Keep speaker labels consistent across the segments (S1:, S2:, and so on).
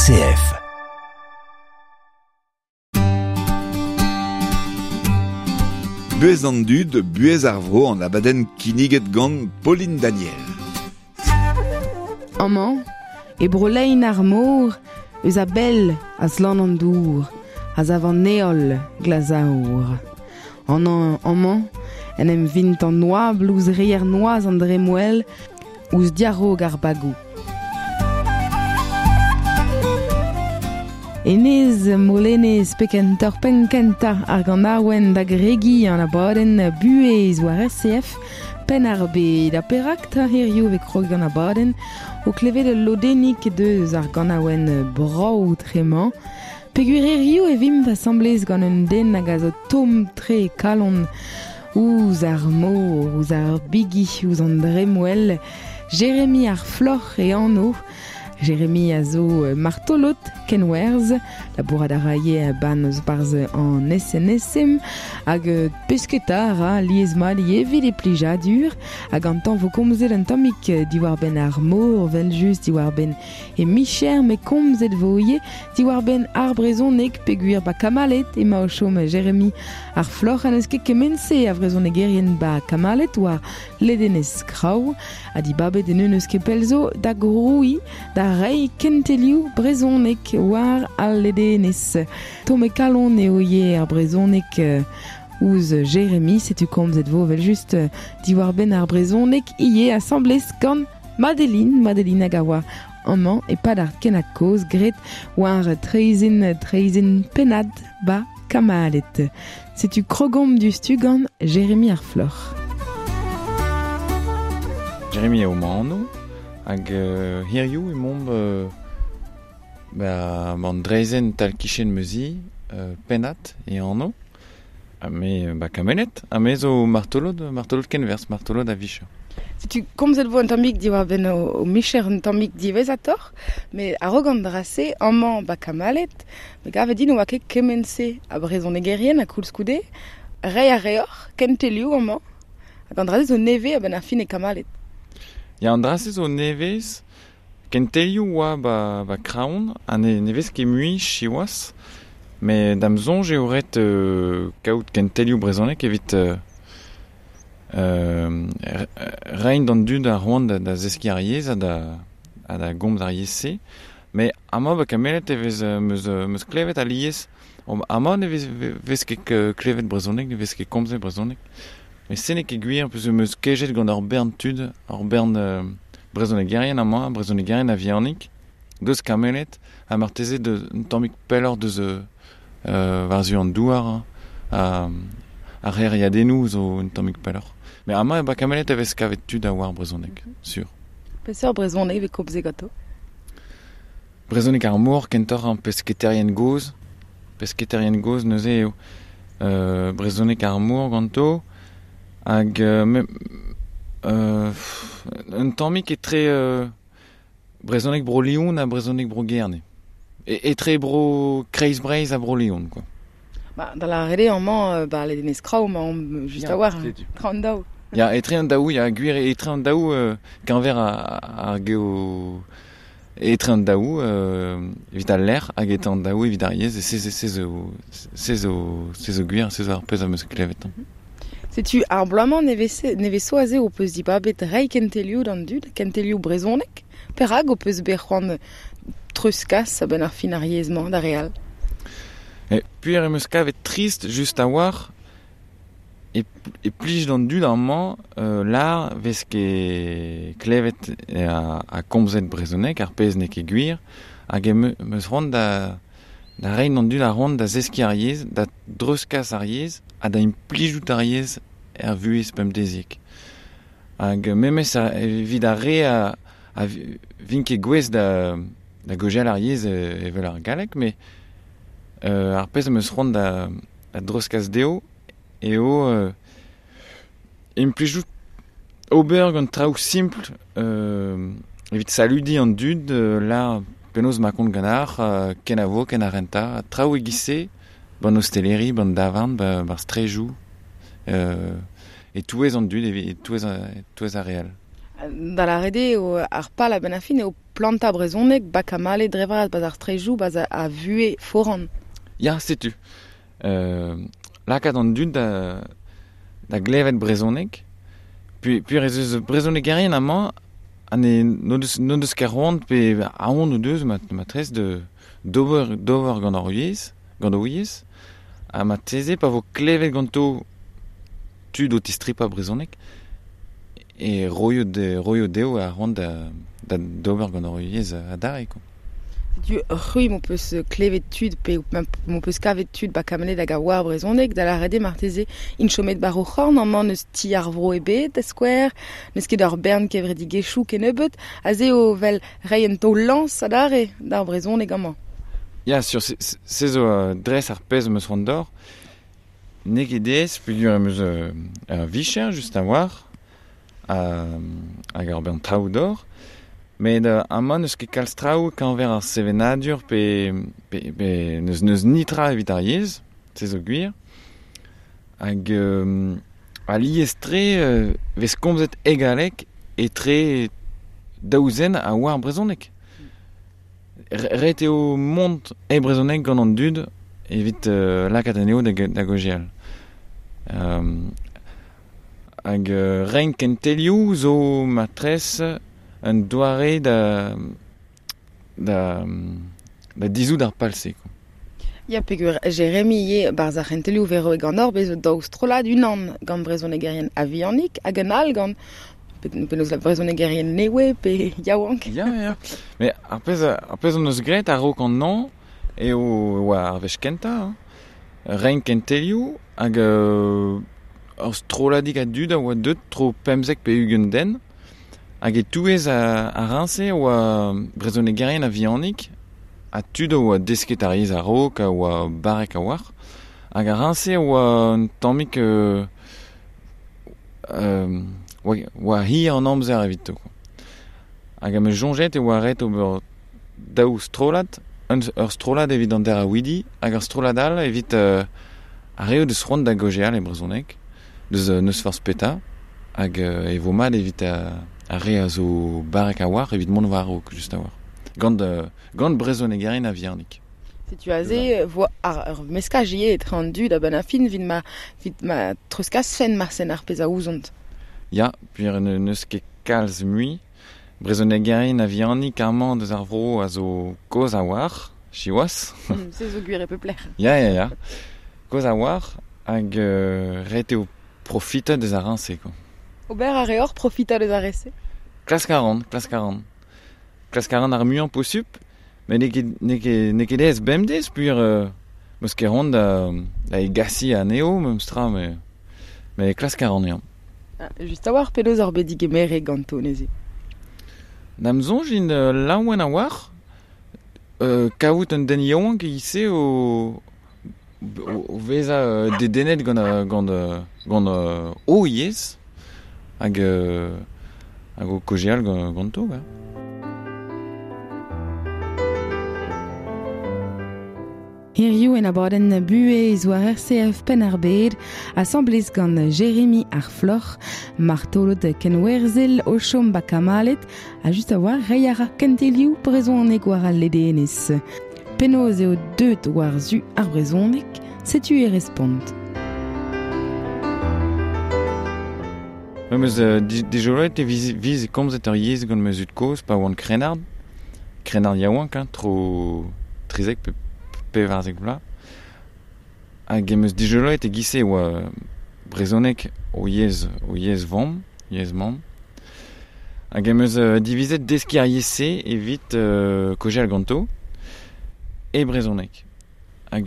S1: RCF.
S2: Buhez an dud, buhez ar vro an abadenn kinniget gant Pauline Daniel.
S3: Amañ, e bro-lein ar mor, eus a bell a zlan an dour, a zav an heol glazaour. An amañ, en em vint an oabl ouzh reier noazh an dremmwel, ouzh diarog ar bagoù. Enez Molenez pe kentoc'h penn kentañ ar ganaouenn da gregiñ an abadenn buhez war RCF Penn-ar-Bed. Ha perak 'ta hiziv e krog an abadenn o klevet ul lodennig deus ar ganaouenn brav tre-mañ? Peogwir hiziv e vimp asambles gant un den hag a zo tomm-tre e kalon ouzh ar mor, ouzh ar bigi, ouzh an dremmwel. Jeremy ar Floc'h e anv. Jeremy a zo martolod kenwerzh, labourat a ra ivez ban eus barzh an SNSM hag pesketa a ra lies-mat ivez evit e plijadur hag gantañ vo komzet un tammig diwar-benn ar mor evel-just diwar-benn e micher met komzet vo ivez diwar-benn ar brezhoneg peogwir ba Kamalet emañ o chom Jeremy ar Floc'h ha n'eus ket kement-se a vrezhonegerien ba Kamalet war ledenez Kraou ha dibabet en eus ket pell zo da grouiñ da reiñ kentelioù brezhoneg war al ledenez. Tomm e kalon eo ivez ar brezhoneg ouzh Jeremy, setu komzet vo evel-just diwar-benn ar brezhoneg ivez asambles gant Madeline, Madeline hag a oa amañ e-pad ar kennad kozh graet war traezhenn traezhenn pennad ba Kamalet. Setu krogomp diouzhtu gant Jeremy ar Floc'h.
S4: Jeremy eo ma anv hag euh, hiziv emaomp euh, ba an draezhenn tal-kichen ma zi, euh, pennad e anv. Ha me ba Kameled, ha me zo martolod, martolod kenwerzh, martolod a-vicher.
S3: Setu komzet vo un tammig diwar-benn ho micher un tammig diwezhatoc'h, met a-raok an dra-se, amañ ba Kamaled, me gave din ne oa ket kement-se a brezhonegerien ha koulskoude, reiñ a reoc'h kentelioù amañ, hag an dra-se zo nevez a-benn ar fin e Kamaled.
S4: Ya, an dra-se zo nevez. Kentelioù oa ba, ba Kraon, ha ne, ne vez ket mui siwazh. Met da'm soñj eo ret euh, kaout kentelioù brezhonek evit euh, euh, reiñ d'an dud ar c'hoant da, da zeskiñ ar yezh ha da, ha da gomz ar yezh-se. Met amañ ba Kameled e vez 'meus 'meus klevet alies amañ ne vez vez ket klevet brezhoneg, ne vez ket komzet brezhoneg. Met se n'eo ket gwir peus 'meus kejet gant ur bern tud, ur bern brezhonegerien amañ, brezhonegerien a-vihanik, deus Kameled ha marteze deus un tammig pelloc'h deus war-zu an douar ha ar c'hêriadennoù zo un tammig pelloc'h. Met amañ e ba Kameled e vez kavet tud a oar brezhoneg, sur.
S3: Peseurt brezhoneg e vez komzet ganto?
S4: Brezhoneg ar mor kentoc'h an pesketaerien gozh. Pesketaerien gozh neuze eo euh, brezhoneg ar mor ganto. Hag euh, me, euh, un tammig etre euh, brezhoneg Bro-Leon ha brezhoneg Bro-Gerne. E, etre Bro Kreiz-Breizh ha Bro-Leon, quoi.
S3: Ba, da lâret eo amañ, ba ledenez Kraou emaomp just a-walc'h. Etre an daou.
S4: Ya, etre an daou, ya, gwir etre an daou, euh, keñver ar geo... Etre an daou euh, evit al lec'h hag etre an daou evit ar yezh, e se, se, se zo, se zo, se zo gwir, se zo ar pezh am eus klevet.
S3: Setu ar bloaz-mañ nevez zo aze ho peus dibabet reiñ kentelioù d'an dud, kentelioù brezhoneg. Perak ho peus bet c'hoant treuzkas a-benn ar fin ar yezh-mañ d'ar re all?
S4: E, puer em eus kavet trist just a-walc'h e, e plij d'an dud amañ euh, lar vez ket klevet ha, ha komzet brezhoneg, ar pezh n'eo ket gwir, hag em eus c'hoant da, da reiñ d'an dud ar c'hoant da zeskiñ ar yezh, da dreuzkas ar yezh ha da implijout ar yezh er vuhez pemdeziek. Hag memes evit ar re a, a vint ket gouest da, da gaozeal ar yezh evel ar galleg, met euh, ar pezh am eus c'hoant da, da dreuzkas dezho eo euh, implijout ober gant traoù simpl euh, evit saludiñ an dud euh, lar penaos ma kont ganeoc'h euh, kenavo, ken ar rentañ, traoù e-giz-se, ban osteleri, ban davarn, ba, bar strejoù, euh, e-touez an dud, e-touez, e-touez ar re all.
S3: Da la rede eo ar pal a ben a fin eo planta brezhoneg ba kamale drevraz baz ar strejou baz a vue foran.
S4: Ya, setu. Lakaat an dud da glevet brezhoneg. Puis ez eus brezhonegerien amañ ha ne n'o deus ket c'hoant pe aon o deus matrez de d'ober gant ar yezh, gant o yezh. Ha marteze pa vo klevet ganto tud o tistripañ brezhoneg e roio dezho ar c'hoant da d'ober gant ar yezh adarre, quoi.
S3: Setu c'hwi m'ho peus klevet tud pe m'ho peus kavet tud ba kamelet hag a oar brezhoneg da lâret eo marteze int chomet bar o c'horn amañ n'eus ti ar vro ebet da skouer, n'eus ket ur bern kevredigezhioù kennebeut, aze eo vel reiñ un taol lañs adarre d'ar brezhoneg amañ.
S4: Ya, sur, se zo dres ar pezh am eus c'hoant d'or. N'eo ket aes peogwir am eus ur vicher just a-walc'h hag ur bern traoù d'or. Met amañ n'eus ket kalz traoù keñver ar sevenadur pe n'eus nitra evit ar yezh, se zo gwir. Hag alies-tre vez komzet e galleg etre daou zen a oar brezhoneg. Ret eo mont e brezhoneg gant an dud evit lakaat anezho da gaozeal. Hag reiñ kentelioù zo matrez un doare da dizout ar pal-se.
S3: Ya, peogwir Jeremy ivez barzh ar c'hentelioù vero e gant hor bez zo daou strollad unan gant brezhonegerien a-vihanik hag un all gant penaos la brezhonegerien newe pe yaouank.
S4: Ya, ya. Mais ar pezh hon eus graet a-raok an hañv eo oa ar wech kentañ, reiñ kentelioù hag ur strolladig a dud a oa deuet tro 15 pe 20 den. Hag e-touez ar riñse oa brezhonegerien a-vihanik ha tud a oa desket ar yezh a-raok a oa barrek a-walc'h. Hag ar riñse oa un tammig oa hir an amzer evito. Hag am eus soñjet e oa ret ober daou strollad, ur strollad evit an deraouidi hag ur strollad all evit ar re o deus c'hoant da gaozeal e brezhoneg, deus n'eus forzh petra, hag e vo mat evit ar re a zo barrek a-walc'h evit mont war-raok, just a-walc'h. Gant brezhonegerien a-vihanik.
S3: Setu aze vo ar meskaj ivez etre an dud a-benn ar fin evit ma treuzkasfen marsen ar pezh a ouzont.
S4: Ya, peogwir n'eus ket kalz mui. Brezhonegerien a-vihanik amañ deus ar vro a zo kozh a-walc'h, siwazh.
S3: Se zo gwir e pep lec'h.
S4: Ya. Kozh a-walc'h hag ret eo profitañ deus ar riñse, quoi.
S3: Ober a reoc'h profitañ deus ar re-se?
S4: Klask a ran. Klask a ran ar muiañ posupl, met n'eo ket aes bemdez, peogwir meus ket c'hoant da egasiñ anezho memes tra, met klask a ran eo.
S3: Just a-walc'h penaos oc'h bet digemeret ganto neuze?
S4: Da'm soñj int laouen a-walc'h, kaout un den yaouank e-giz-se o vezañ dedennet gant o yezh hag o kaozeal ganto. Ya.
S3: Hiziv en abadenn buhez war RCF Penn-ar-Bed, asambles gant Jérémy ar Floc'h, martolod kenwerzhel o chom ba Kamalet, ha just a-walc'h reiñ a ra kentelioù brezhoneg war al ledenez. Penaos eo deuet war-zu ar brezhoneg, setu e respont.
S4: Em eus dijoloet e viz komzet ur yezh gant ma zud-kozh pa oan krennard yaouank, hein, tro 13 pe 14 vloaz. Hag em eus dijoloet e-giz-se oa brezhoneg o yezh vamm, yezh mamm. Hag em eus divizet deskiñ ar yezh-se evit kaozeal ganto e brezhoneg. Hag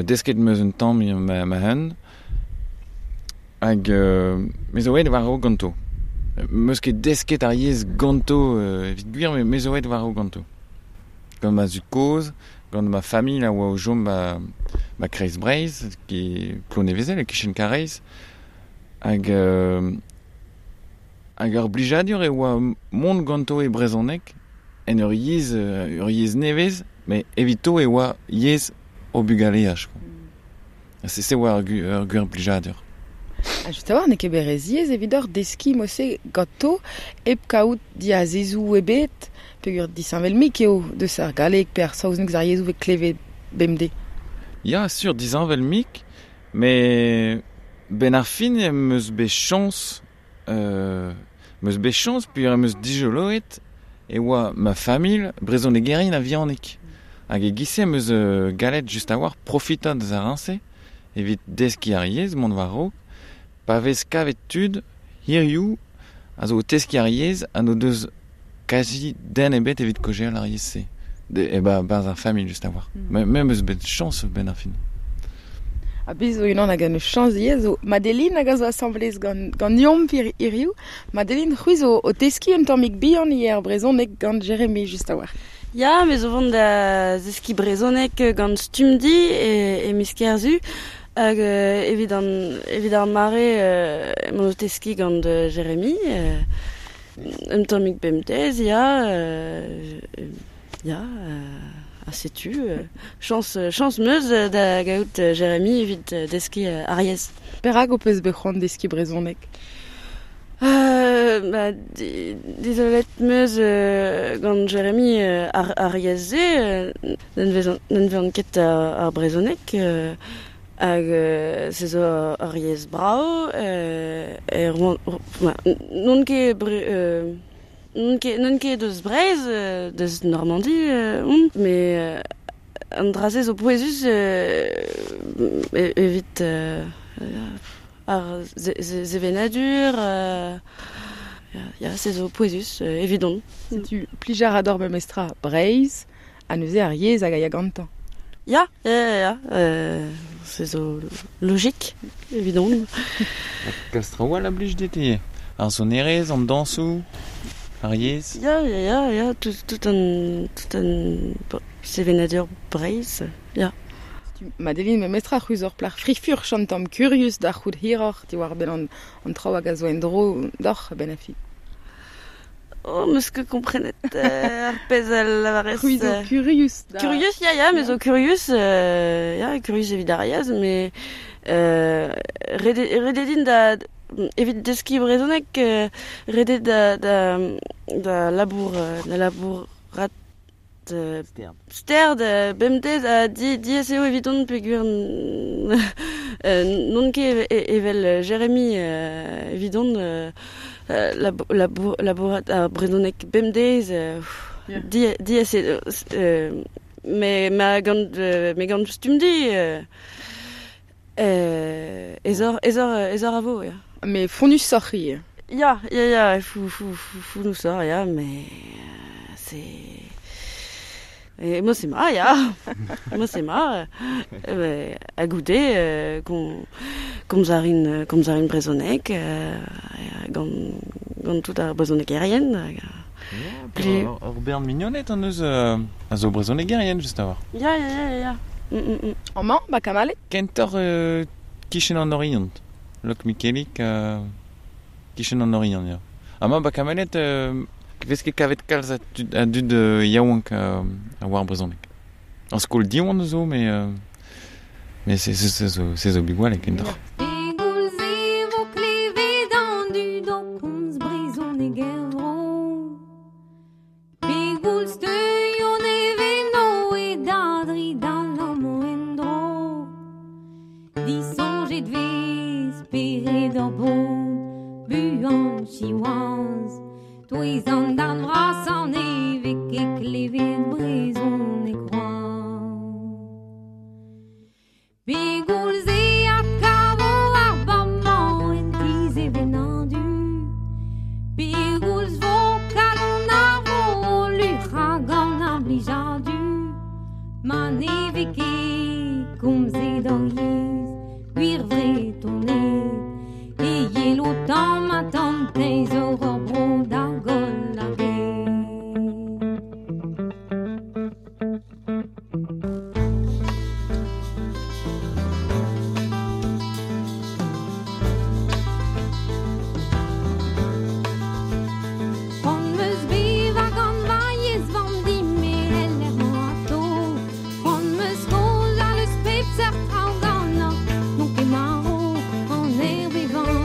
S4: desket em eus un tamm ma-hun. Hag me zo aet war-raok ganto. Meus ket desket ar yezh ganto evit gwir, met me zo aet war-raok ganto. Gant ma zud-kozh, gant ma familh a oa o chom ba Kreiz Breizh, e Plonevezel, e-kichen Karaez. Hag ur blijadur e oa mont ganto e brezhoneg en ur yezh nevez, met evito e oa yezh o bugaleaj. Se oa ur gwir blijadur.
S3: Ha just a-walc'h n'eo ket bet re ziaes evidoc'h deskiñ mod-se ganto hep kaout diazezoù ebet peogwir disheñvel-mik eo deus ar galleg pe ar saozneg ar yezhoù vez klevet bemdez.
S4: Ya, sur, disheñvel-mik, met 'benn ar fin em eus bet chañs em eus bet chañs peogwir em eus dijoloet e oa ma familh brezhonegerien a-vihanik. Hag e-giz-se em eus gallet just a-walc'h profitañ deus ar riñse evit deskiñ ar yezh, mont war-raok. Pa vez kavet tud hiziv a zo o teskiñ ar yezh ha n'o deus kazi den ebet evit kaozeal ar yezh-se. E-barzh ar familh just a-walc'h. Me 'm eus bet chañs a-benn ar fin.
S3: Ha bez zo unan hag en deus chañs ivez zo Madeline hag a zo asambles gant ganeomp hiriv. Madeline, c'hwi zo o teskiñ un tammig bihan ivez ar brezhoneg gant Jeremy just a-walc'h.
S1: Ya, me zo vont da zeskiñ brezhoneg gant Stumdi e miz Kerzu. Hag evit an evit ar mare emaon o teskiñ gant Jeremy. Un tammig bemdez, ya. Ya, ha setu, chañs chañs 'm eus da gaout Jeremy evit deskiñ ar yezh.
S3: Perak ho peus bet c'hoant deskiñ brezhoneg?
S1: Ba, dizolet 'm eus gant Jeremy ar yezh-se, n'anvezan ket ar brezhoneg hag se zo ur yezh brav, n'on ket N'on ket deus Breizh, deus Normandi on, met an dra-se zo pouezus evit ar sevenadur, ya, se zo pouezus evidon.
S3: Setu plij a ra deoc'h memestra Breizh ha neuze ar yezh hag a ya gantañ.
S1: Ya, ya, ya, se zo logik evidon.
S4: Kalz traoù all a blij dit ivez? Ar sonerezh, an dañsoù, ar yezh?
S1: Ya, ya, ya, ya, tout an, tout an sevenadur Breizh, ya.
S3: Setu Madeline memestra c'hwi zo ur plac'h fri-furch un tamm kurius da c'hoût hiroc'h diwar-benn an traoù hag a zo en-dro deoc'h a-benn ar fin.
S1: Oh, 'meus ket komprenet ar pezh a lavarez.
S3: C'hwi zo kurius
S1: da... Kurius, ya, ya, me zo kurius, ya, kurius evit ar yezh, met ret eo din da evit deskiñ brezhoneg, ret eo da da da labour da labourat sterd bemdez ha diaes eo evidon peogwir n'on ket evel Jeremy evidon labourat ar brezhoneg bemdez diaes eo met gant met gant Stumdi aesoc'h a vo ya.
S3: Met fonnusoc'h ivez.
S1: Ya, ya, ya, fonnusoc'h ya, met c'est... Moi c'est ma, ya. Moi c'est ma. Ha goude komz a rin komz a rin brezhoneg gant gant tout ar brezhonegerien.
S4: Ur bern mignoned hon eus a zo brezhonegerien just a-walc'h.
S1: Ya, ya, ya, ya.
S3: Amañ, ba Kamalet?
S4: Kentoc'h kichen an Oriant. Lokmikelik kichen an Oriant, ya. Amañ ba Kamalet vez ket kavet kalz a dud yaouank a oar brezhoneg. Ar skol Diwan zo, met se zo bugale kentoc'h.
S5: Pegoulz e vo klevet an dud o komz brezhoneg er vro? Pegoulz teuio neveno e da dridal amañ en-dro? Disoñjet 'vez spered hor bobl buan siwazh. Touez an darn vrasañ ne vez ket klevet brezhoneg c'hoazh. Pegoulz e adkavo ar bamañ en ti sevenadur? Pegoulz vo kalon ar vro luc'hañ gant ar blijadur? Ma ne vez ket komzet hor yezh, gwir Vretoned, e yelo tamm ha tamm teñzor hor bro da goll ar bed. C'hoant 'm eus bevañ gant va yezh vamm din-me el lec'h-mañ atao. C'hoant 'm eus kaozeal eus pep seurt traoù ganeoc'h, n'on ket marv, aner bevañ.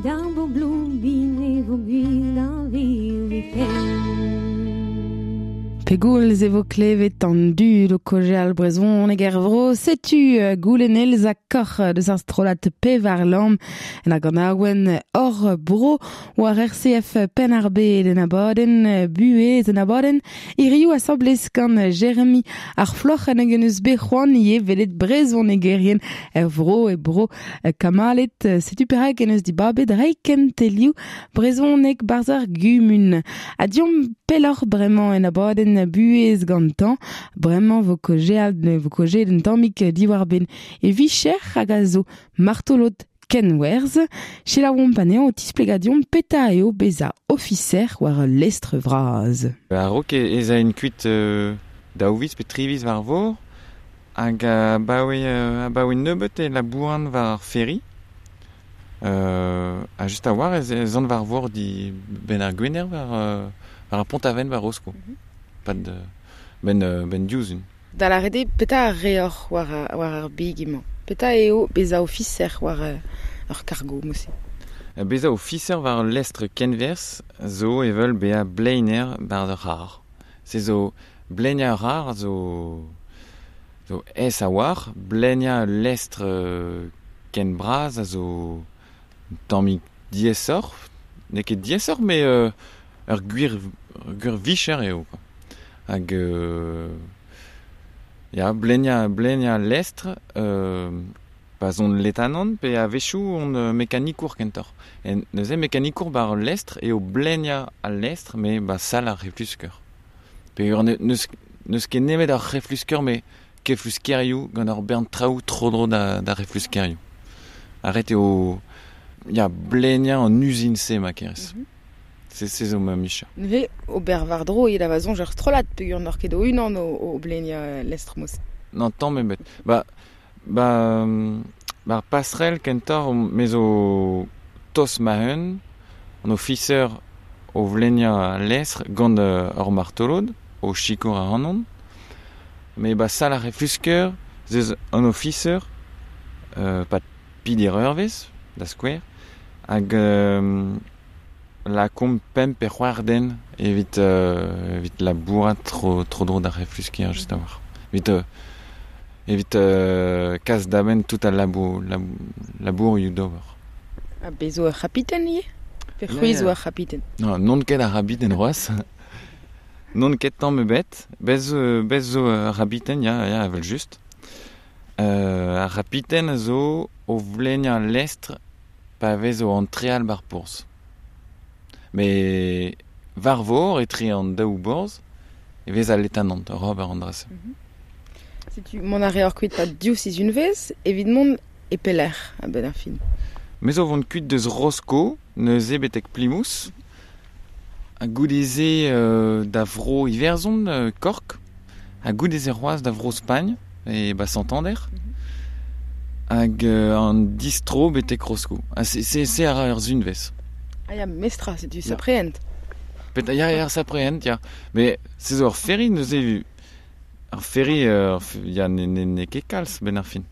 S5: Vit ar bobloù bin e vo gwir da virviken.
S3: Pegoulz e vo klevet an dud o kaozeal brezhoneg er vro, setu goulenn Elsa Koc'h deus ar strollad Pevar Lamm en hag an awen hor bro war RCF Penn-ar-Bed en abadenn buhez en abadenn hiriv asambles gant Jeremy ar Floc'h en hag en eus bet c'hoant ivez welet brezhonegerien er vro e bro Kamalet. Setu perak en eus dibabet reiñ kentelioù brezhoneg barzh ar gumun. Ha deomp pelloc'h bremañ en abadenn buhez gantañ. Bremañ vo kaozeal vo kaozeet un tammig diwar-benn e vicher hag a zo martolod kenwerzh. Selaouomp anezhañ o tisplegañ deomp petra eo bezañ ofiser war ul lestr vras.
S4: A-raok ez aen kuit daou viz pe tri viz war vor hag abaoe nebeut e labouran war ar ferry. Ha just a-walc'h ez an war vor di benn ar Gwener war ar Pont-Aven war Rosko. Pad ben diouzhun.
S3: Da lâret eo petra a reoc'h war ar big-mañ? Petra eo bezañ ofiser war ur kargo mod-se?
S4: Bezañ ofiser war ul lestr kenwerzh zo evel bezañ bleiner war ur c'harr. Se zo bleinañ ur c'harr zo aes a-walc'h, bleinañ ul lestr ken bras a zo un tammig diaesoc'h. N'eo ket diaesoc'h met ur gwir vicher eo quoi. Hag ya, bleinañ al lestr, pa 'z on letanant pe a-wechoù on mekanikour kentoc'h. Neuze mekanikour war ul lestr eo bleinañ al lestr met ba sal ar c'heflusker. Peogwir n'eus ket nemet ar c'heflusker met kefluskerioù gant ur bern traoù tro-dro d'ar c'hefluskerioù. Ha ret eo ya, bleinañ an uzin-se ma kerez. Se zo ma micher.
S3: Neuze, ober war-dro eo da va soñj ur strollad peogwir n'oc'h ket ho-unan o bleinañ lestr mod-se.
S4: Non, tamm ebet. Ba ar passerell kentoc'h me zo tost ma-un, an ofiser o vleinañ al lestr gant ur martolod, o sikour ac'hanon. Met ba sal ar c'heflusker, ez an ofiser, pa peder eurvezh, da skouer, hag lakaomp pemp pe c'hwec'h den evit labourat tro-dro d'ar c'heflusker just a-walc'h. Evit kas da benn tout al labourioù d'ober.
S3: Ha bez zo ur c'habiten ivez? Pe c'hwi zo ur c'habiten?
S4: Non, n'on ket ar c'habiten c'hoazh. N'on ket tamm ebet. Bez zo ur c'habiten, ya, evel-just. Ar c'habiten a zo o vleinañ al lestr pa vez o antreal ba'r porzh. Met war vor, etre an daou borzh, e vez al letanant oc'h ober an dra-se.
S3: Setu mont a reoc'h kuit pa div sizhunvezh evit mont e pelec'h a-benn ar fin?
S4: Me zo vont kuit deus Rosko, neuze betek Plymouth. Ha goude-se da vro Iwerzhon, Cork. Ha goude-se c'hoazh da vro Spagn, e ba Santander. Hag an distro betek Rosko. Ha se a ra ur sizhunvezh.
S3: Ah ya, mestra, setu sapreent.
S4: Ya, sapreent, ya. Met se zo ur ferry neuze. Ar ferry, ya, n'eo ket kalz benn ar fin.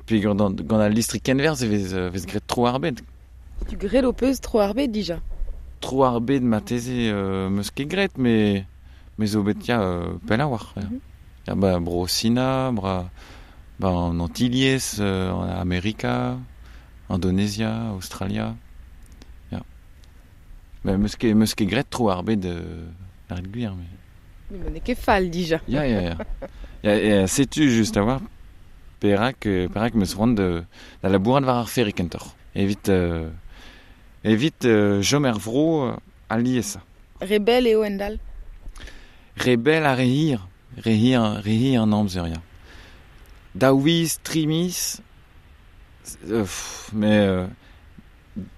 S4: Peogwir gant al listri kenwerzh e vez graet tro ar bed.
S3: Setu graet ho peus tro ar bed dija?
S4: Tro ar bed marteze 'meus ket graet, met me zo bet ya pell a-walc'h. Ya, ba bro Sina, ba an Antilhez, Amerika, Indonezia, Aostralia. Ya. Met 'meus ket graet tro ar bed ar gwir.
S3: Mais n'eo ket fall dija.
S4: Ya. Ya, setu just a-walc'h perak 'meus c'hoant da labourat war ar ferry kentoc'h. Evit chom er vro aliesañ.
S3: Re bell eo endal?
S4: Re bell ha re hir. Re hir an amzer, ya. Daou viz, tri miz, met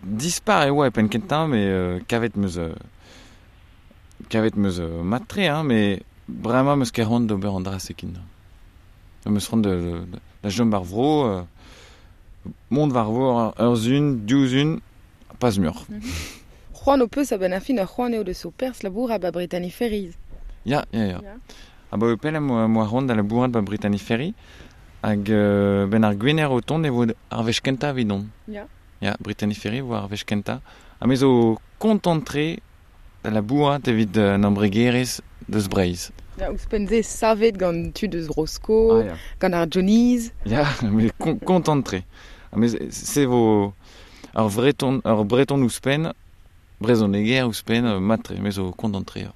S4: dispar e oa e penn kentañ, met kavet 'meus mat-tre, hein, met bremañ 'meus ket c'hoant d'ober an dra-se ken. 'Meus c'hoant da chom war vro, mont war vor ur sizhun, div sizhun, pas muioc'h.
S3: C'hoant ho peus a-benn ar fin ur c'hoant eo deus ho perzh labourat ba Brittany Ferries.
S4: Ya. Abaoe pell em boa c'hoant da labourat ba Brittany Ferry hag benn ar Gwener o tont e vo ar wech kentañ evidon.
S3: Ya.
S4: Ya, Brittany Ferry war ar wech kentañ. Ha me zo kontant-tre da labourat evit an embregerezh deus Breizh.
S3: Ya, ouzhpenn se savet gant tud eus Rosko,
S4: Ah, ya.
S3: gant ar Johnnies.
S4: Ya, me kontant-tre. Ha me se vo ar Breton, ar Breton ouzhpenn, brezhoneger ouzhpenn, mat-tre, me zo kontant-tre. Ya.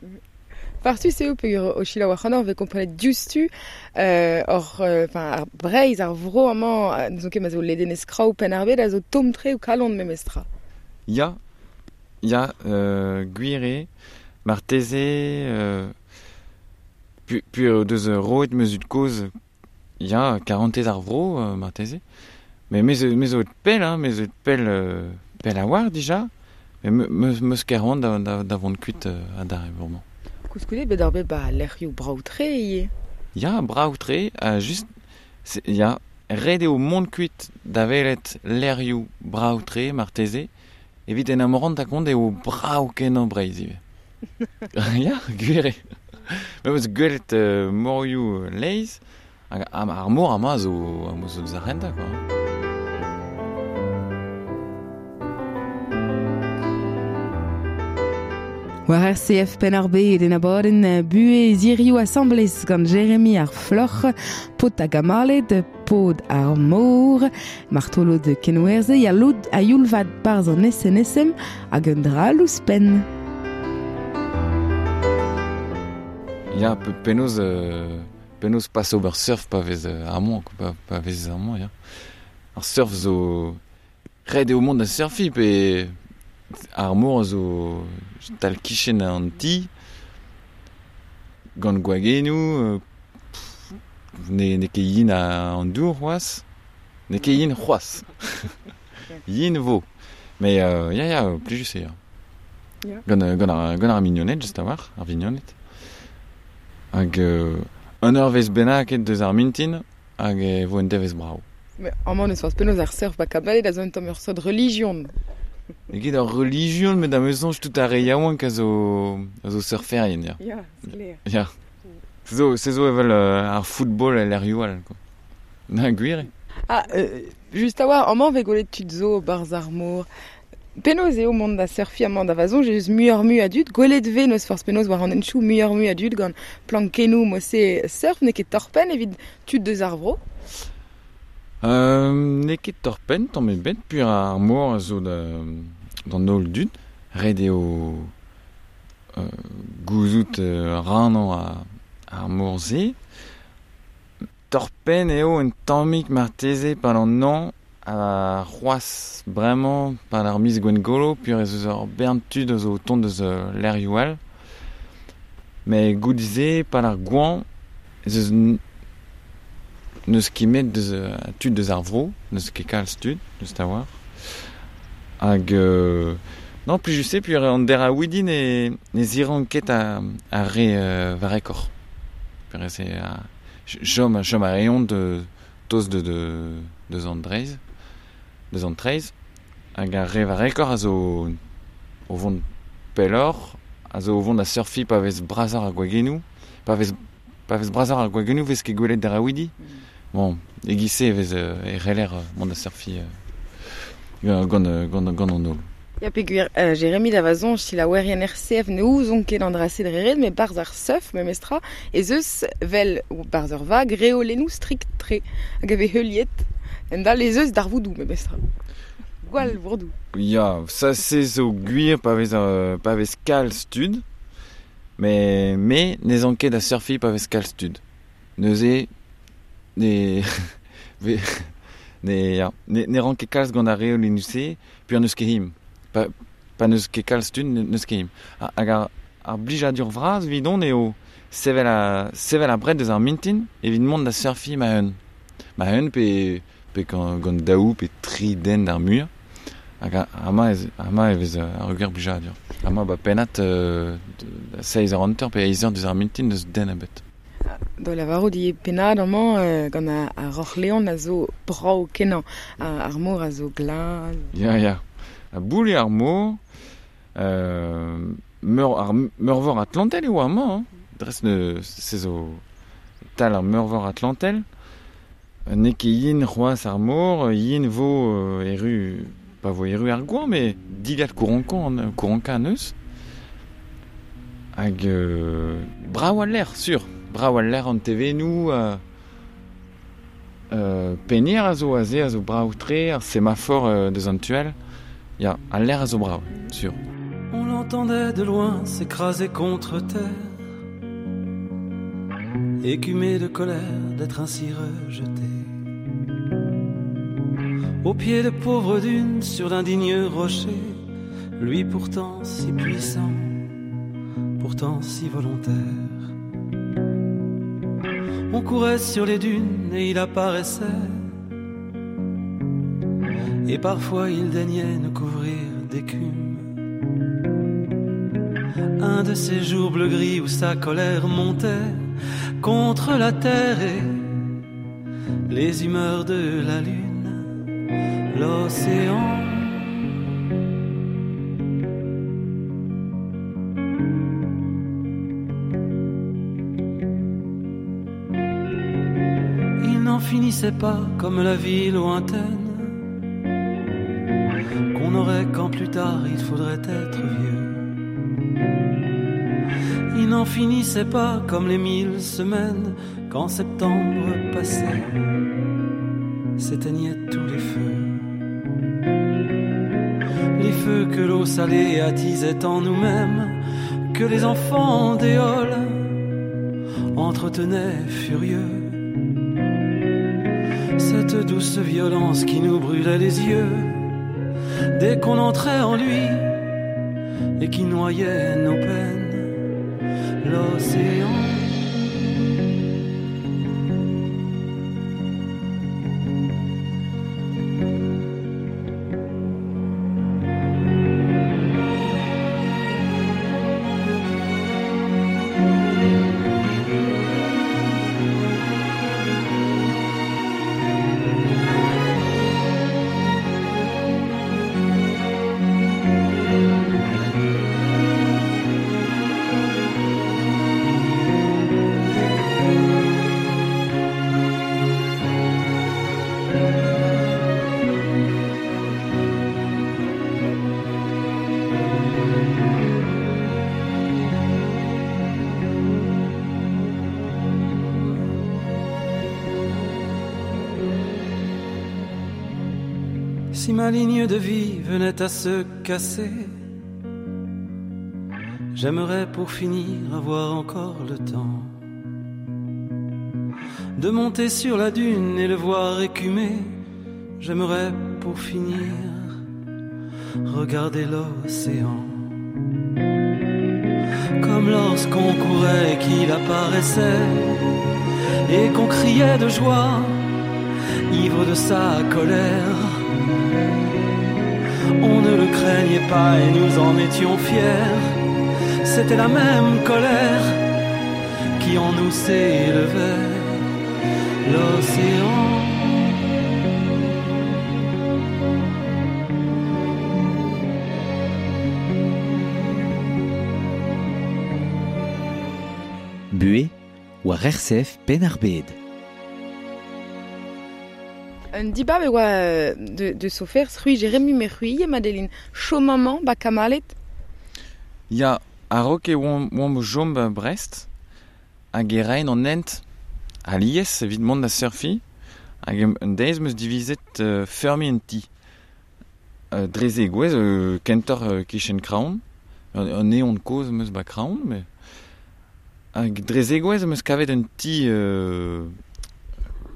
S3: Farsus eo peogwir o selaou ac'hanoc'h vez komprenet diouzhtu hor enfin ar Breizh, ar vro amañ, n'eus ket ma zo ledenez kraou Penn-ar-Bed a zo tomm-tre o kalon memestra.
S4: Ya, ya, gwir eo, marteze, pu deus roet ma zud-kozh, ya, karantez ar vro, marteze. Mais me zo pell, hein, me zo pell, pell a war dija, mais me ket c'hoant da vont kuit adarre bremañ.
S3: Koulskoude bet ar bet ba lec'hioù brav-tre ivez.
S4: Ya, brav-tre, just, ya, ret eo mont kuit da welet lec'hioù brav-tre marteze, evit en amorant da kont eo brav kenañ Breizh ivez. Ya, gwir eo. Me eus gwelet morioù leizh, hag ar mor amañ zo deus ar rentañ, quoi.
S3: War RCF Penn-ar-Bed en abadenn buhez hiziv asambles gant Jérémy ar Floc'h, paotr hag amaled, paotr ar mor, martolod kenwerzhe ya lod a youl vat barzh an SNSM hag un dra all ouzhpenn.
S4: Ya, penaos pas ober surf pa vez amañ, pa vez amañ, ya. Ar surf zo ret eo mont da surfiñ pe ar mor zo tal kichen an ti, gant gwagennoù, ne ket yin an dour c'hoazh, ne ket yin c'hoazh. Yin vo. Mais ya, ya, plijus eo.
S3: Ya.
S4: Gant ar mignoned, just a-walc'h, ar vignoned. Hag un eurvezh bennak deus ar mintin, hag e vo un devezh brav.
S3: Mais amañ n'eus forzh penaos ar surf ba Kabalet a zo un tamm ur seurt relijion.
S4: Ket ur relijion, met am eus soñj tout ar re yaouank a zo surferien, ya.
S3: Ya, sklaer.
S4: Ya. Se zo evel ar football el lec'hioù all, quoi. Na, gwir eo.
S3: Ah, just a-walc'h, amañ vez gwelet tud zo barzh ar mor. Penaos eo mont da surfiñ amañ da va soñj eus muioc'h-mui a dud, gwelet vez n'eus forzh penaos war an henchoù muioc'h-mui a dud gant plankennoù mod-se surf, n'eo ket torr-penn evit tud deus ar vro?
S4: N'eo ket torr-penn, tamm ebet, puir ar mor a zo d'an holl dud. Ret eo gouzout rannañ ar mor-se. Torr-penn eo un tammig marteze pad an hañv ha c'hoazh bremañ pad ar miz Gwengolo, puir ez eus ur bern tud a zo o tont deus lec'hioù all. Met goude-se, pad ar goañv, ez eus n'eus ket met deus tud deus ar vro, n'eus ket kalz tud, just a-walc'h. Hag non, plijus eo, puir an deraouidi ne ziran ket ar re varekoc'h. Puir ez eo chom a reont de toz deus an dreizh, deus an traezh. Hag ar re varekoc'h a zo o vont pelloc'h, a zo o vont da surfiñ pa vez brasoc'h ar gwagennoù, pa vez brasoc'h ar gwagennoù vez ket gwelet deraouidi. Bon, e-giz-se e vez e c'heller mont da surfiñ gant an holl.
S3: Ya, peogwir Jérémy da va soñj, selaouerien RCF ne ouzon ket an dra-se dre ret, met barzh ar surf memestra, ez eus vel barzh ur vag reolennoù strikt-tre hag a vez heuliet en dal ez eus darvoudoù memestra. Gwall vourdoù.
S4: Ya, ça se zo gwir pa vez kalz tud, mais me ne zan ket da surfiñ pa vez kalz tud. Neuze ne ne ran ket kalz gant ar reolennoù-se, puir n'eus ket him. Pa n'eus ket kalz tud, n'eus ket him. Hag ar blijadur vras evidon eo sevel ar bred deus ar mintin evit mont da surfiñ ma-un. Ma-un pe gant daou pe tri den d'ar muiañ. Hag amañ e vez ar gwir blijadur. Amañ ba pennad 6 eur hanter pe 8 eur deus ar mintin deus den ebet.
S3: Da lavarout ivez pennad amañ gant ar Roc'h-Leon a zo brav kenañ, ar mor a zo glas.
S4: Ya, ya. A boull eo ar mor, ar meurvor Atlantel eo amañ, hein. Dres se zo tal ar meurvor Atlantel. N'eo ket yin c'hoazh ar mor, yin vo erru pa vo eru ar goañ, me dilhad kouronkañ an eus. Hag brav al lec'h, sur. Brav al lec'h an tevennoù, penir a zo aze a zo brav tre, ar semafor deus an tuel. Ya, al lec'h a zo brav, sur.
S6: On l'entendait de loin s'écraser contre terre, écumé de colère d'être ainsi rejeté. Au pied de pauvres dunes, sur d'indignes rochers, lui pourtant si puissant, pourtant si volontaire. On courait sur les dunes et il apparaissait, et parfois il daignait nous couvrir d'écume. Un de ces jours bleu-gris où sa colère montait contre la terre et les humeurs de la lune, l'océan. Il n'en finissait pas comme la vie lointaine qu'on aurait quand plus tard il faudrait être vieux. Il n'en finissait pas comme les 1000 semaines quand septembre passait, s'éteignaient tous les feux. Les feux que l'eau salée attisait en nous-mêmes, que les enfants d'éole entretenaient furieux. Cette douce violence qui nous brûlait les yeux dès qu'on entrait en lui et qui noyait nos peines, l'océan. Si ma ligne de vie venait à se casser, j'aimerais pour finir avoir encore le temps de monter sur la dune et le voir écumer. J'aimerais pour finir regarder l'océan, comme lorsqu'on courait et qu'il apparaissait et qu'on criait de joie, ivre de sa colère. On ne le craignait pas et nous en étions fiers. C'était la même colère qui en nous s'élevait, l'océan.
S7: Bué war RCF Penn-ar-Bed.
S3: Un dibab e oa de sofer, c'hui Jérémy me c'hui, Madeline. Chaud maman, ba kamalet.
S4: Ya, a-raok e oamp o chom ba Brest, hag e raen an hent alies evit mont da surfi, hag un deiz meus divizet feurmi un ti. Dreze gwez, kentoc'h kichen Kraon, un eon kozh meus ba Kraon, mais hag dreze gwez meus kavet un ti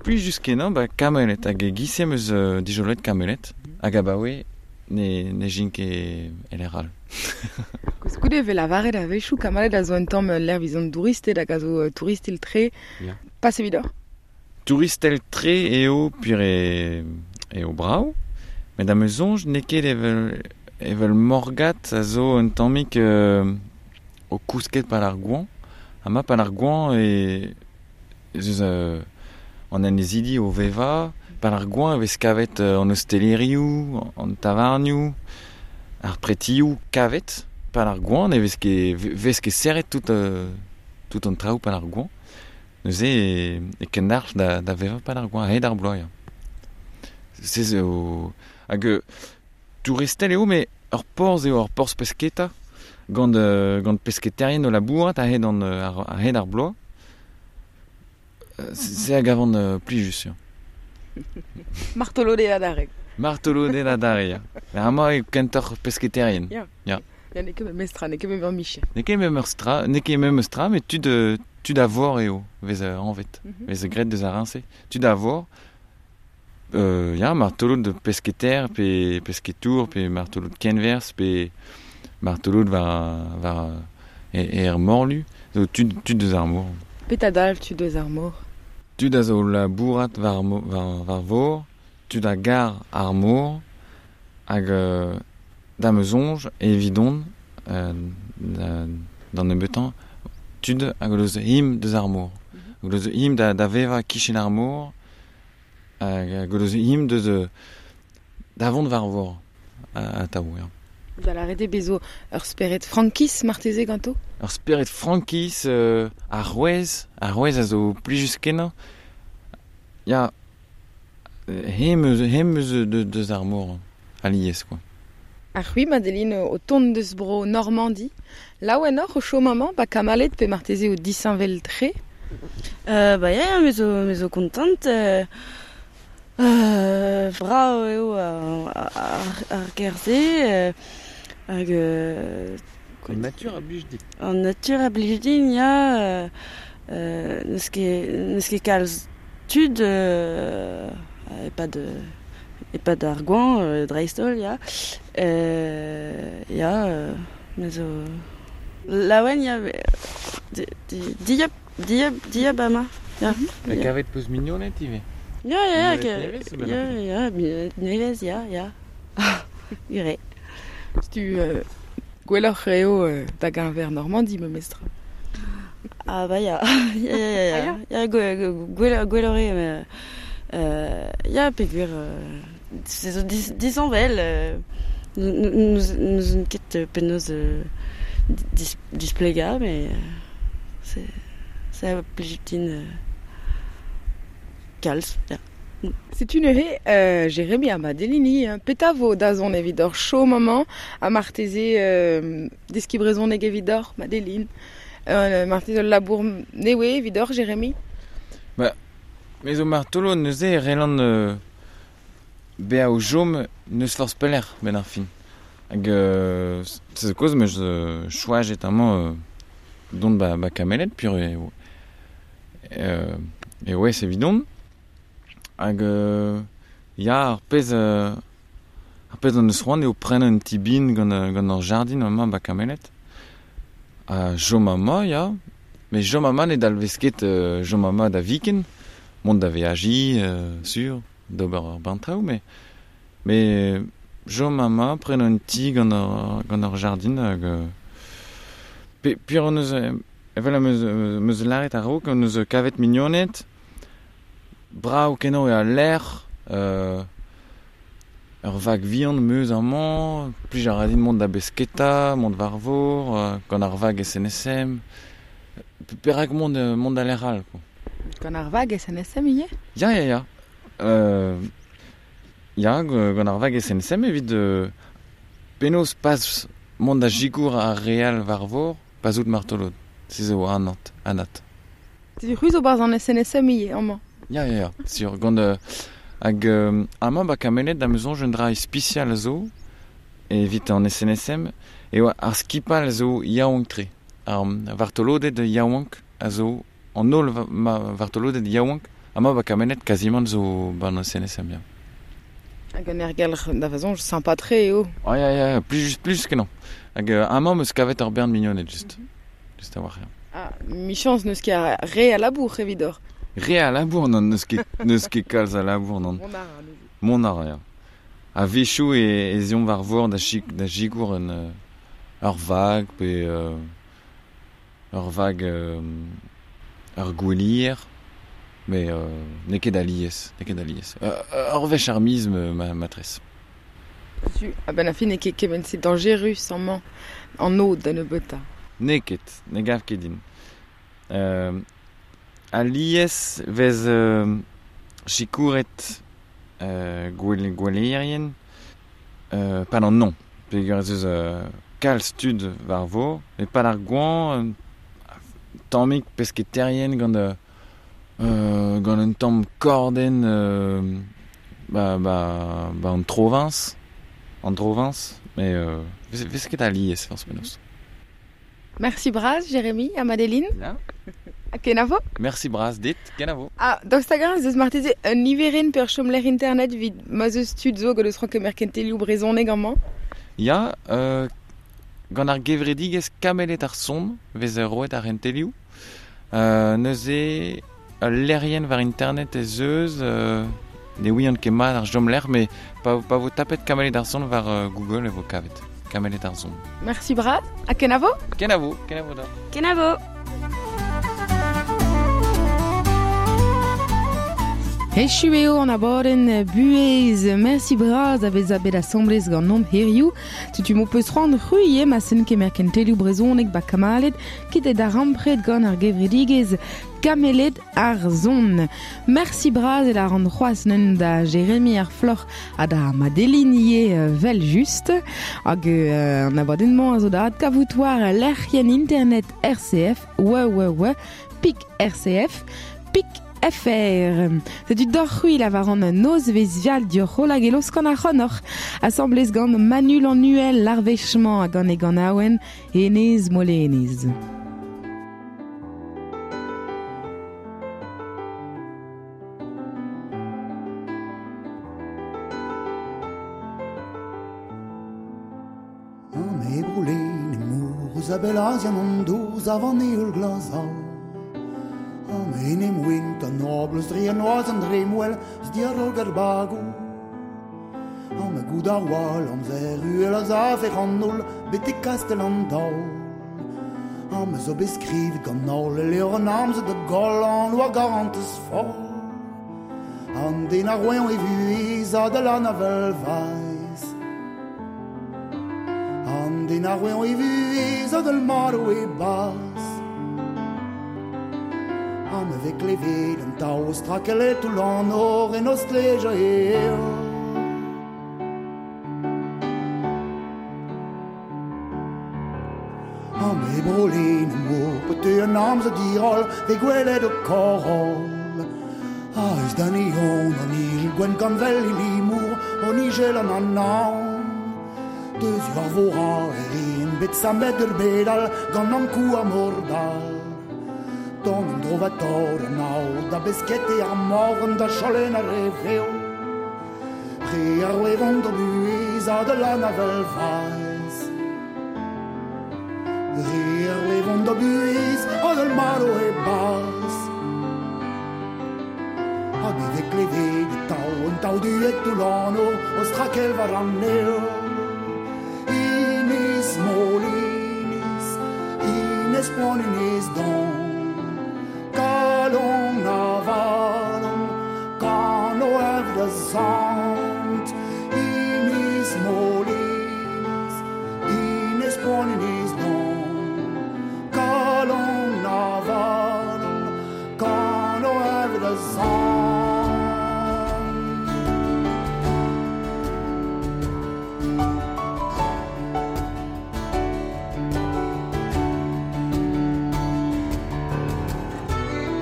S4: Puis jusqu'en ba Kamelet, hag e gise meus dijolet Kamelet, hag abaoe ne jin ket eler all.
S3: Koulskoude e lavaret a-wechoù Kamelet a zo un tamm lec'h vizon touristed hag a zo touristel tre,
S4: yeah.
S3: Pas evidoc'h.
S4: Touristel tre eo pur eo brav, met am eus soñj n'eo ket evel Morgat a zo un tammig o kousket pal ar goañ. Ha ma pal ar goañ e zeus an anezidi o veva, pal ar goañ e vez kavet an ostelerioù, an tavarnioù, ar pretioù kavet, pal ar goañ ne vez ket serret tout an traoù pal ar goañ. Neuze e kendarch da veva pal ar goañ, a-hed ar bloaz. Se zo... Hag Touristel eo, me ur porzh eo, ur porzh pesketa, gant pesketerien o labourat a-hed a-hed ar bloaz. Se a gavan plijus, ya.
S3: Martolode adarre.
S4: Martolode adarre, ya. Amañ eo kentoc'h pesketerien.
S3: Ya.
S4: Ya.
S3: Ya, n'eo ket memes tra, n'eo ket memes micher.
S4: N'eo ket memes tra, n'eo ket memes tra, met tud a vor eo, vez anvet, vez graet deus ar riñse. Tud a vor, ya, martolod de pesketer, pe pesketour, pe martolod kenverzh, pe martolod war er morlu, zo tud deus ar mor.
S3: Petra dalv tud deus ar mor?
S4: Tud a zo labourat war vor, tud a gar ar mor, hag da ma soñj evidon, d'an nebeutañ, tud hag o deus him deus ar mor. Hag o deus him da vevañ kichen ar mor, hag o deus him deus da vont war vor, atav, ya.
S3: Da lâret eo bezo ur spered frankiz marteze ganto?
S4: Ur spered frankiz, ar c'hwezh a zo plijus kenañ. Ya, hem eus deus ar mor, alies, quoi.
S3: Ar c'hwi, Madeline, o tont deus bro Normandi. Laouen oc'h o chom amañ, ba kamalet pe marteze o disheñvel tre?
S1: Ba ya, me zo kontant. Brav eo ar gêr-se. Hag
S4: An natur a blij dit.
S1: An natur a blij din, ya. N'eus ket kalz tud e-pad ar goañv, dreist-holl, ya. Ya, me zo laouen, ya, dieub amañ. Ya.
S4: Met kavet peus mignoned ivez?
S1: Ya, ya, ya, nevez, ya, ya. Ure.
S3: Setu gwelloc'h eo da geñver Normandi, memes tra.
S1: Ah ba ya, ya, ya, ya, ya, gwelloc'h eo, ya, peogwir se zo disheñvel, n'ouzon ket penaos displegañ, met se a blij din kalz, ya.
S3: Setu neuze Jérémy ha Madeline, petra vo dazont evit ur chom amañ, ha marteze deskiñ brezhoneg evidoc'h, Madeline, marteze ul labour newe evidoc'h, Jérémy?
S4: Ba, me zo martolod neuze e c'hellan bezañ o chom n'eus forzh pelec'h benn ar fin. Hag se zo kaoz meus choajet amañ dont ba Kameled, pur eo aes evidon. Hag ya, ar pezh an eus c'hoant eo prenañ un ti bihan gant ur jardin amañ ba Kameled. Ha chom amañ, ya. Met chom amañ ne dalvez ket chom amañ da viken. Mont da veajiñ, sur, d'ober ur bern traoù, met chom amañ, prenañ un ti gant ur jardin hag pur an eus, evel am eus lâret a-raok, an eus kavet mignoned. Brav kenañ eo al lec'h, ur vag vihan meus amañ, plij a ra din mont da besketa, mont war vor, gant ar vag SNSM. Perak mont da lec'h all, quoi.
S3: Gant ar vag SNSM ivez?
S4: Ya, ya, ya. Ya, gant ar vag SNSM evit penaos pas mont da sikour ar re all war vor, pas out martolod. Se zo anat.
S3: Setu c'hwi zo barzh an SNSM ivez amañ?
S4: Ya, ya, ya, sur. Gant hag amañ ba Kameled da ma soñj un dra ispisial a zo evit an SNSM eo ar skipal a zo yaouank-tre. Ar vartoloded yaouank a zo, an holl vartoloded yaouank amañ ba Kameled kazimant zo ban SNSM, ya.
S3: Hag an aergelc'h da va soñj sympa-tre eo.
S4: Ah ya, ya, plijus kenañ. Hag amañ 'm eus kavet ur bern mignoned just. Just a-walc'h, ya.
S3: Ah, michañs n'eus ket re a labour evidoc'h.
S4: Re a labour, non, n'eus ket kalz a labour, non. Mont a ra, ya. A-wechoù ez eomp war vor da sikour ur vag pe ur vag ur gouelier, met n'eo ket alies, Ur wech ar miz matrez.
S3: Setu, a-benn ar fin n'eo ket kement-se dañjerus amañ an aod da nebeutañ.
S4: N'eo ket, ne gav ket din. Alies vez sikouret gouelerien. Pad an non. Peogwir ez eus kalz tud war vor, met pad ar goañv, tammig pesketerien gant gant un tamm kordenn ba, ba, ba an Troviñs, an Troviñs, met vez ket alies forzh penaos.
S3: Merci bras, Jérémy, ha Madeline.
S4: Ya.
S3: Ha kenavo.
S4: Merci bras dit, kenavo.
S3: Ah, daoust hag-eñ ez eus marteze un niverenn pe ur chomlec'h internet evit ma'z eus tud zo gant eus c'hoant kemer kentelioù brezhoneg amañ?
S4: Ya, gant ar gevredigezh Kameled ar Son vez roet ar c'hentelioù. Neuze, ul lec'hienn war internet ez eus, ne ouian ket mat ar chomlec'h, met pa vo tapet Kameled ar Son war Google e vo kavet. Kameled ar Son.
S3: Merci bras, ha kenavo?
S4: Kenavo, kenavo da.
S1: Kenavo.
S3: Echu eo an abadenn buhez. Merci bras a vezañ bet asambles ganeomp hiziv. Setu m'ho peus c'hoant c'hwi eo ma sen kemer kentelioù brezhoneg ba Kamaled, ket eo darempred gant ar gevredigezh Kameled ar Son. Merci bras e lâran c'hoazh neun da Jérémy ar Floc'h ha da Madeline ivez vel just. Hag an abadenn-mañ a zo da adkavout war lec'hienn internet RCF, www, pik RCF, pik FR. Setu doc'h c'hwi lavaran nozvezh vial dioc'h holl hag e laoskan ac'hanoc'h. Asambles gant Manu Lannuel l'arvech-mañ hag gant e ganaouenn Enez Molenez.
S8: An ebrolen emour eus a bell azian an dour zav an heol glazal. An enem wint an oabl eus dre an noaz an dremmwel eus diarog ar bagoù. An me goud ar wal amzer uhel a zav e rannoul betek kastel an daol. An me zo bet skrivet gant holl e levr an amzer da goll an oa garantez foll. An den ar roeñ e vuhez a da lan avel vaez. An den ar roeñ e vuhez a dal maro e baz. An me vez klevet an taol strakelet toull an nor en o stleja eo. An me brolin mor pe an amzer diroll ve gwelet o koroll. A eus da neon an ijel gwenn gant vel e limour an ijel an anaon. Deus war vor a erin bet sammet ur bedal gant an kou ar mordal. Ton an drovator an ao da beskete ar mor an da cholen ar re veo. Re ar wevont da buhez a da lan avel vaez. Re ar wevont da buhez a dal maro e baz. Hag e vez klevet e tao an tao duet toull an o o strakel war an neo. Ines Molinis, Ines poan Ines don. Kalon avalon, kano ev da zant. Ines Molinis, Ines poan Ines don. Kalon avalon, kano ev da zant.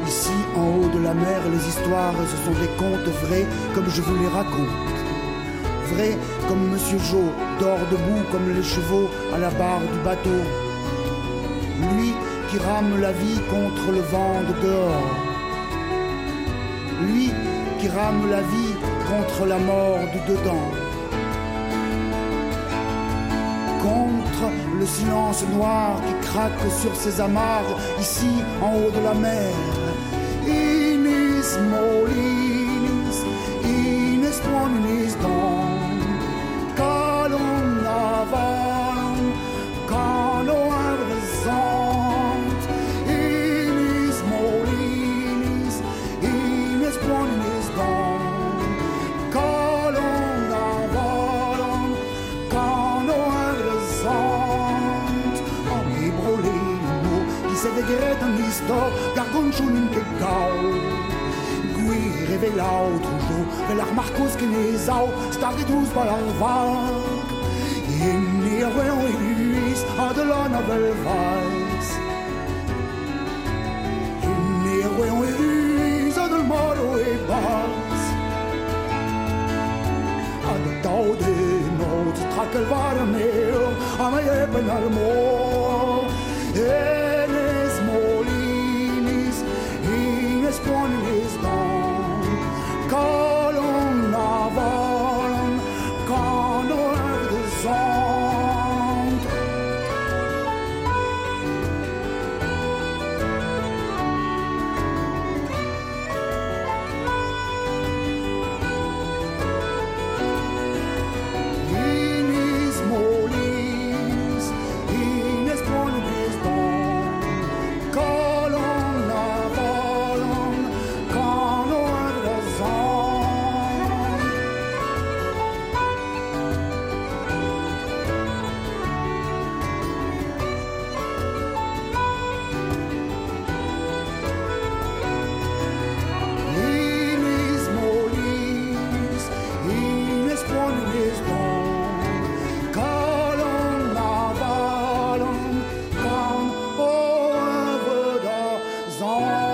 S8: Ici, en haut de la mer, les histoires, ce sont des contes vrais, comme je vous les raconte. Vrais comme Monsieur Joe, dort debout comme les chevaux à la barre du bateau. Lui qui rame la vie contre le vent de dehors. Lui qui rame la vie contre la mort du dedans. Contre le silence noir qui craque sur ses amarres, ici en haut de la mer. Ines Molinis, Ines poan Ines don. Kalon avalon, kano avrezant. Ines Molinis, Ines poan Ines don. Kalon avalon, kano avrezant. An ebroleno, ki se vegret an istor, gar gant chounin ket gao. Gwir Evel aotrou vel ar markoz ken e zao, stag e douz bal ar vag. Enne ar wean e luiz, a de lan a vel vaiz. Enne ar wean e luiz, a del maro e baz. A de tau de not, trakel war ar meo, a me eben ar mor. Enes molinis, ines poanis don, kalon avalon, kano er de zont. Inis molis, ines poanis don, kalon avalon, kano er de zont. Inis molis, ines poanis don, kalon avalon, kan over de zon.